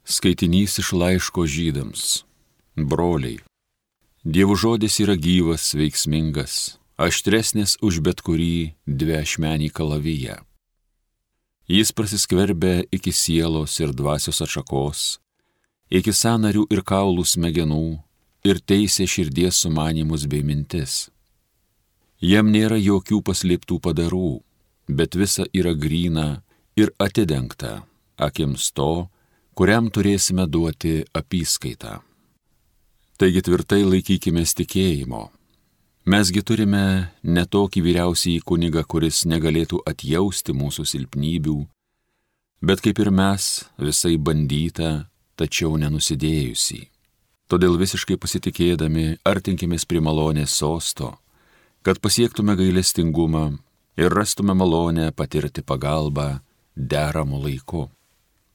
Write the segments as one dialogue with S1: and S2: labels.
S1: Skaitinys iš laiško Žydams. Broliai, Dievo žodis yra gyvas, veiksmingas, aštresnis už bet kurį dviašmenį kalaviją. Jis prasiskverbia iki sielos ir dvasios atšakos, iki sąnarių ir kaulų smegenų ir teisia širdies sumanymus bei mintis. Jam nėra jokių paslėptų padarų, bet visa yra gryna ir atidengta akims to, kuriam turėsime duoti apyskaitą. Taigi tvirtai laikykimės tikėjimo. Mesgi turime ne tokį vyriausiąjį kunigą, kuris negalėtų atjausti mūsų silpnybių, bet kaip ir mes, visai bandytą, tačiau nenusidėjusį. Todėl visiškai pasitikėdami artinkimės prie malonės sosto, kad pasiektume gailestingumą ir rastume malonę patirti pagalbą deramu laiku.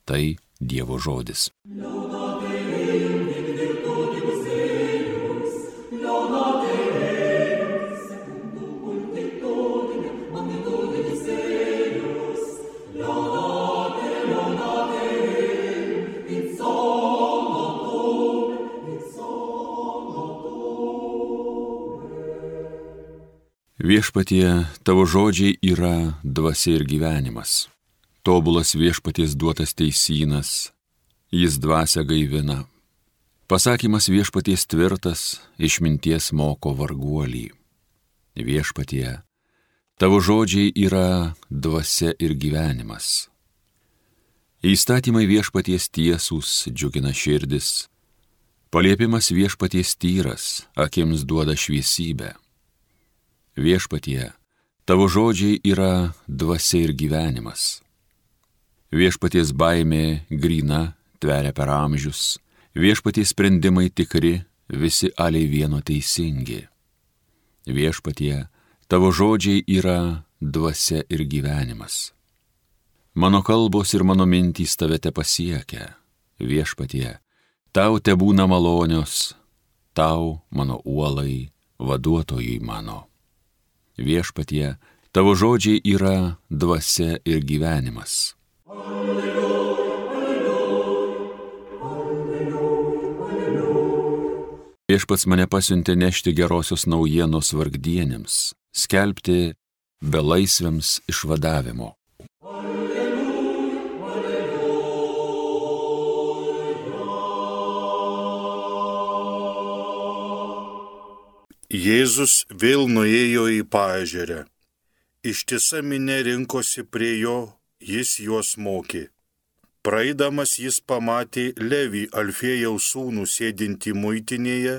S1: Tai Dievo žodis. Viešpatie, tavo žodžiai yra dvasia ir gyvenimas. Tobulas viešpaties duotas teisynas, jis dvasią gaivina. Pasakymas viešpaties tvirtas, išminties moko varguolį. Viešpatie, tavo žodžiai yra dvasia ir gyvenimas. Įstatymai viešpaties tiesūs džiugina širdis, paliepimas viešpaties tyras, akims duoda šviesybę. Viešpatie, tavo žodžiai yra dvasia ir gyvenimas. Viešpaties baimė gryna, tveria per amžius, viešpaties sprendimai tikri, visi aliai vieno teisingi. Viešpatie, tavo žodžiai yra dvasia ir gyvenimas. Mano kalbos ir mano mintys tave te pasiekia. Viešpatie, tau te būna malonios, tau, mano uolai, vaduotojai mano. Viešpatie, tavo žodžiai yra dvasia ir gyvenimas. Viešpats mane pasiuntė nešti gerosios naujienos vargdienėms, skelbti belaisviams išvadavimo.
S2: Jėzus vėl nuėjo į paežerę. Ištisa minia rinkosi prie jo, jis juos mokė. Praeidamas jis pamatė Levį, Alfėjaus sūnų, sėdintį muitinėje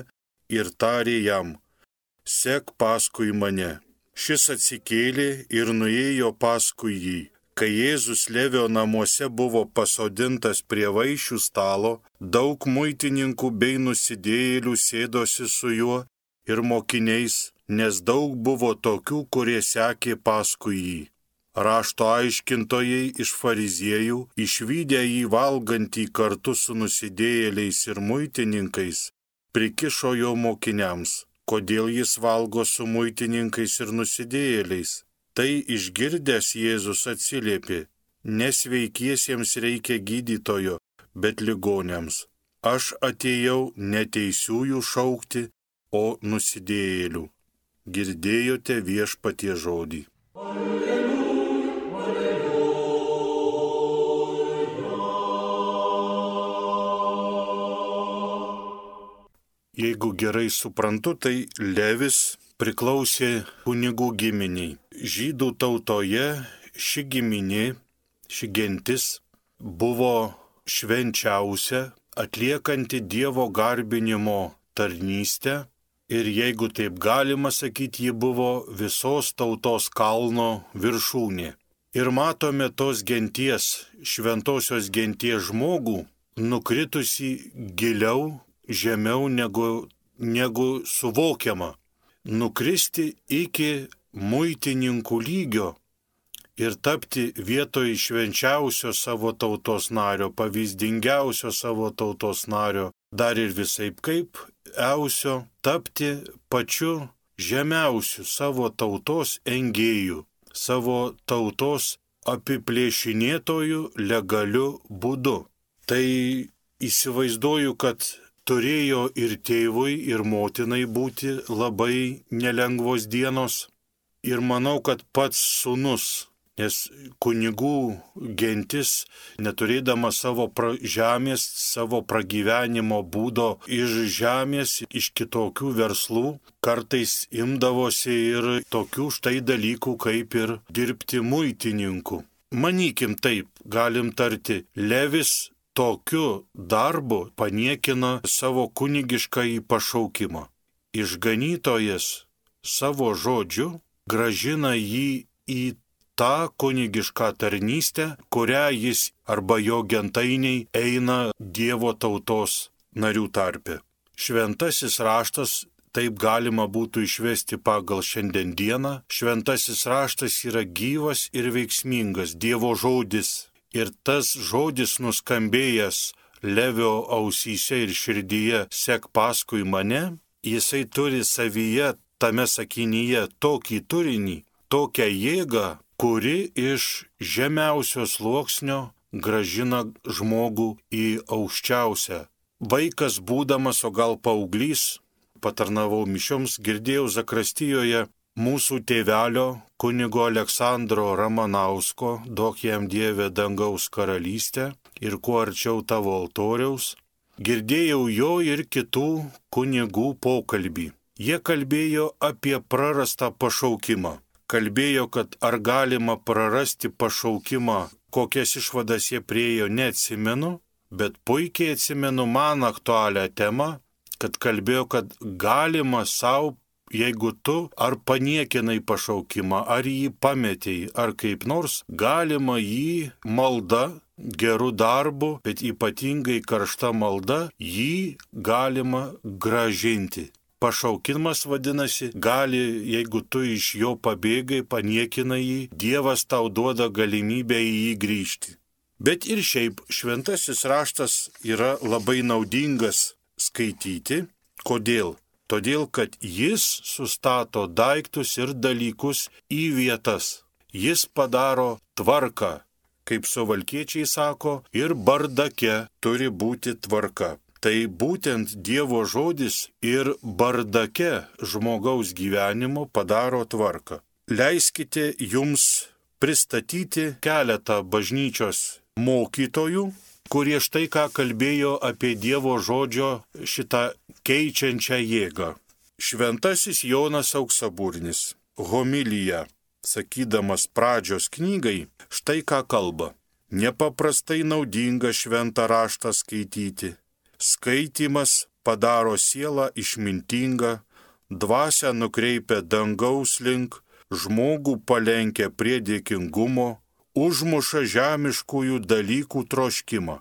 S2: ir tarė jam: sek paskui mane. Šis atsikėlė ir nuėjo paskui jį. Kai Jėzus Levio namuose buvo pasodintas prie vaišių stalo, daug muitininkų bei nusidėjėlių sėdosi su juo ir mokiniais, nes daug buvo tokių, kurie sekė paskui jį. Rašto aiškintojai iš fariziejų, išvydę jį valgantį kartu su nusidėjėliais ir muitininkais, prikišo jo mokiniams: kodėl jis valgo su muitininkais ir nusidėjėliais? Tai išgirdęs Jėzus atsiliepė: nesveikiesiems reikia gydytojo, bet ligoniams. Aš atėjau ne teisiųjų šaukti, o nusidėjėlių. Girdėjote viešpaties žodį. Jeigu gerai suprantu, tai Levis priklausė kunigų giminiai. Žydų tautoje ši giminė, ši gentis buvo švenčiausia, atliekanti Dievo garbinimo tarnystę ir, jeigu taip galima sakyti, ji buvo visos tautos kalno viršūnė. Ir matome tos genties, šventosios genties žmogų, nukritusi giliau, žemiau negu suvokiama. Nukristi iki muitininkų lygio ir tapti vietoj švenčiausio savo tautos nario, pavyzdingiausio savo tautos nario, dar ir visaip kaip eusio, tapti pačiu žemiausiu savo tautos engėjų, savo tautos apiplėšinėtojų legaliu būdu. Tai įsivaizduoju, kad turėjo ir tėvui, ir motinai būti labai nelengvos dienos. Ir manau, kad pats sūnus, nes kunigų gentis, neturėdama savo žemės, savo pragyvenimo būdo iš žemės, iš kitokių verslų, kartais imdavosi ir tokių štai dalykų, kaip ir dirbti muitininku. Manykim taip, galim tarti, Levis tokiu darbu paniekina savo kunigiškąjį pašaukimą. Išganytojas savo žodžiu grąžina jį į tą kunigišką tarnystę, kurią jis arba jo gentainiai eina Dievo tautos narių tarpe. Šventasis raštas, taip galima būtų išvesti pagal šiandieną, šventasis raštas yra gyvas ir veiksmingas Dievo žodis. Ir tas žodis nuskambėjęs Levio ausyse ir širdyje sek paskui mane, jisai turi savyje tame sakinyje tokį turinį, tokią jėgą, kuri iš žemiausio sluoksnio grąžina žmogų į aukščiausią. Vaikas būdamas, o gal paauglys, patarnavau mišioms, girdėjau Zakristijoje mūsų tėvelio kunigo Aleksandro Ramanausko, duok jam Dieve dangaus karalystę ir kuo arčiau tavo altoriaus, girdėjau jo ir kitų kunigų pokalbį. Jie kalbėjo apie prarastą pašaukimą. Kalbėjo, kad ar galima prarasti pašaukimą, kokias išvadas jie priėjo, neatsimenu, bet puikiai atsimenu man aktualią temą, kad kalbėjo, kad galima savo, jeigu tu ar paniekinai pašaukimą, ar jį pametei, ar kaip nors, galima jį malda, gerų darbų, bet ypatingai karšta malda, jį galima gražinti. Pašaukimas vadinasi, gali, jeigu tu iš jo pabėgai, paniekinai jį, Dievas tau duoda galimybę į jį grįžti. Bet ir šiaip šventasis raštas yra labai naudingas skaityti. Kodėl? Todėl, kad jis sustato daiktus ir dalykus į vietas. Jis padaro tvarką, kaip suvalkiečiai sako, ir bardake turi būti tvarka. Tai būtent Dievo žodis ir bardake žmogaus gyvenimo padaro tvarką. Leiskite jums pristatyti keletą bažnyčios mokytojų, kurie štai ką kalbėjo apie Dievo žodžio šitą keičiančią jėgą. Šventasis Jonas Auksaburnis, homilija, sakydamas pradžios knygai, štai ką kalba. Nepaprastai naudinga šventą raštą skaityti. Skaitymas padaro sielą išmintingą, dvasią nukreipia dangaus link, žmogų palenkia prie dėkingumo, užmuša žemiškųjų dalykų troškimą,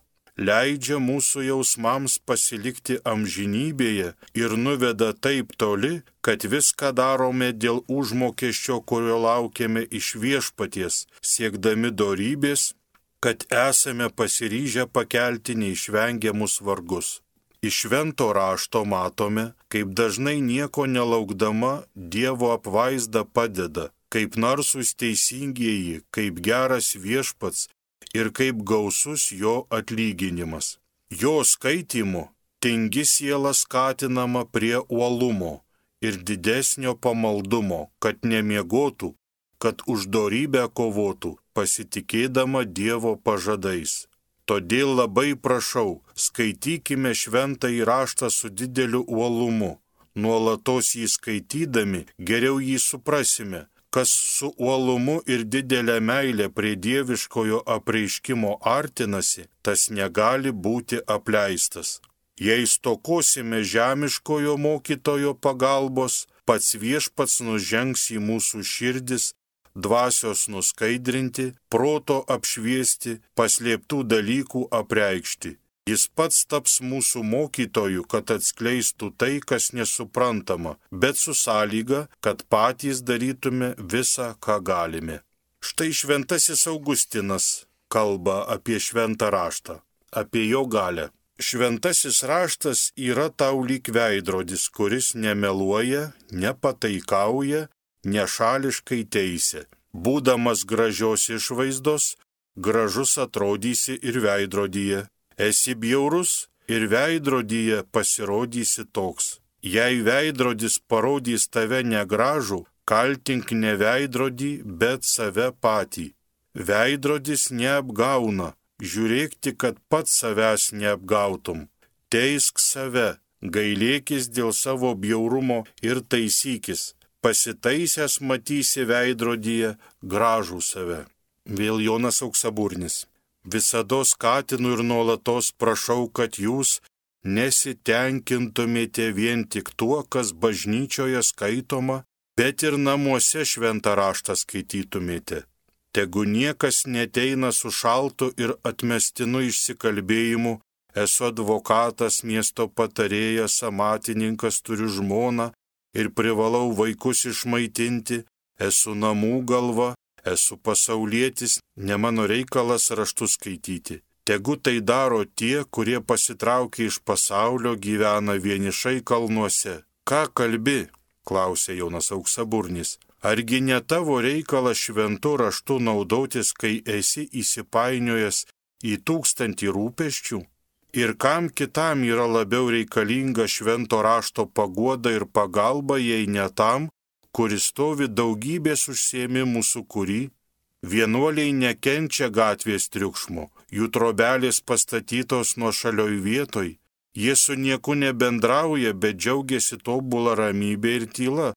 S2: leidžia mūsų jausmams pasilikti amžinybėje ir nuveda taip toli, kad viską darome dėl užmokesčio, kurio laukiame iš viešpaties, siekdami dorybės, kad esame pasiryžę pakelti neišvengiamus vargus. Iš švento rašto matome, kaip dažnai nieko nelaukdama Dievo apvaizda padeda, kaip narsūs teisingieji, kaip geras viešpats ir kaip gausus jo atlyginimas. Jo skaitymu tingi siela skatinama prie uolumo ir didesnio pamaldumo, kad nemiegotų, kad už dorybę kovotų, pasitikėdama Dievo pažadais. Todėl labai prašau, skaitykime šventąjį raštą su dideliu uolumu. Nuolatos jį skaitydami, geriau jį suprasime, kas su uolumu ir didelė meilė prie dieviškojo apreiškimo artinasi, tas negali būti apleistas. Jei stokosime žemiškojo mokytojo pagalbos, pats viešpats nužengs į mūsų širdis, dvasios nuskaidrinti, proto apšviesti, paslėptų dalykų apreikšti. Jis pats taps mūsų mokytoju, kad atskleistų tai, kas nesuprantama, bet su sąlyga, kad patys darytume visą, ką galime. Štai šventasis Augustinas kalba apie šventą raštą, apie jo galią. Šventasis raštas yra tau lyg veidrodis, kuris nemeluoja, nepataikauja, nešališkai teisia. Būdamas gražios išvaizdos, gražus atrodysi ir veidrodyje. Esi bjaurus ir veidrodyje pasirodysi toks. Jei veidrodis parodys tave negražų, kaltink ne veidrodį, bet save patį. Veidrodis neapgauna, žiūrėk tik, kad pats savęs neapgautum. Teisk save, gailėkis dėl savo bjaurumo ir taisykis. Pasitaisęs matysi veidrodyje gražų save. Vėl Jonas Auksaburnis. Visados skatinu ir nuolatos prašau, kad jūs nesitenkintumėte vien tik tuo, kas bažnyčioje skaitoma, bet ir namuose šventą raštą skaitytumėte. Tegu niekas neteina su šaltu ir atmestinu išsikalbėjimu, esu advokatas, miesto patarėjas, amatininkas, turiu žmoną ir privalau vaikus išmaitinti, esu namų galva, esu pasaulietis, ne mano reikalas raštus skaityti. Tegu tai daro tie, kurie pasitraukia iš pasaulio, gyvena vienišai kalnuose. Ką kalbi? Klausė Jonas Auksaburnis. Argi ne tavo reikalas šventu raštu naudotis, kai esi įsipainiojęs į 1000 rūpesčių? Ir kam kitam yra labiau reikalinga švento rašto paguoda ir pagalba, jei ne tam, kuris stovi daugybės užsiėmimų sukūry? Vienuoliai nekenčia gatvės triukšmo, jų trobelės pastatytos nuošalioj vietoj, jie su nieku nebendrauja, bet džiaugiasi tobulą ramybę ir tyla,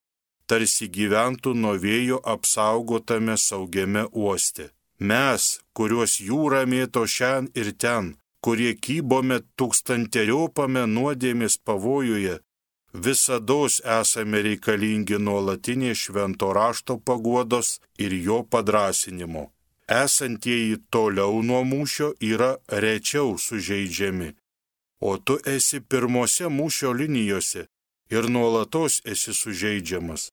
S2: tarsi gyventų nuo vėjo apsaugotame saugiame uoste. Mes, kuriuos jūra mėto šen ir ten, kurie kybome tūkstanteriopame nuodėmės pavojuje, visados esame reikalingi nuolatinės švento rašto paguodos ir jo padrąsinimo. Esantieji toliau nuo mūšio yra rečiau sužeidžiami, o tu esi pirmose mūšio linijose ir nuolatos esi sužeidžiamas.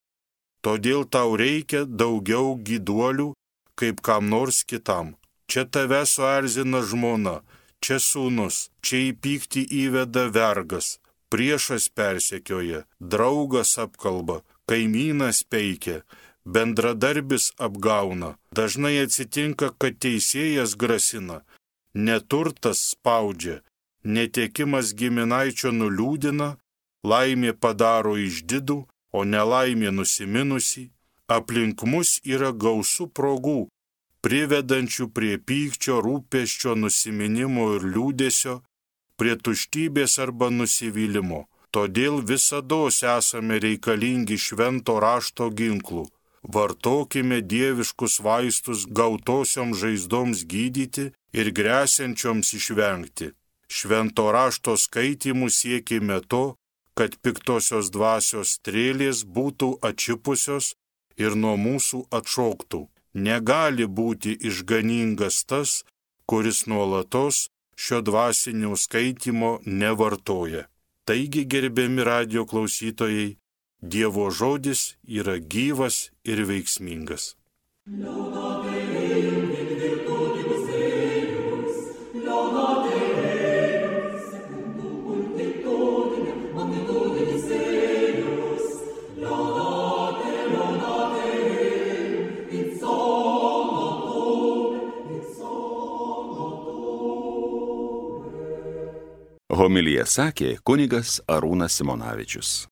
S2: Todėl tau reikia daugiau gyduolių kaip kam nors kitam. Čia tave suerzina žmona, čia sūnus, čia į pyktį įveda vergas. Priešas persekioja, draugas apkalba, kaimynas peikia, bendradarbis apgauna. Dažnai atsitinka, kad teisėjas grasina, neturtas spaudžia, netekimas giminaičio nuliūdina, laimė padaro išdidų, o nelaimė nusiminusi. Aplink mus yra gausu progų, privedančių prie pykčio, rūpesčio, nusiminimo ir liūdesio, prie tuštybės arba nusivylimo. Todėl visados esame reikalingi švento rašto ginklų. Vartokime dieviškus vaistus gautosioms žaizdoms gydyti ir gresiančioms išvengti. Švento rašto skaitimų siekime to, kad piktosios dvasios strėlės būtų atšipusios ir nuo mūsų atšoktų. Negali būti išganingas tas, kuris nuolatos šio dvasinio skaitymo nevartoja. Taigi, gerbiami radijo klausytojai, Dievo žodis yra gyvas ir veiksmingas.
S1: Homiliją sakė kunigas Arūnas Simonavičius.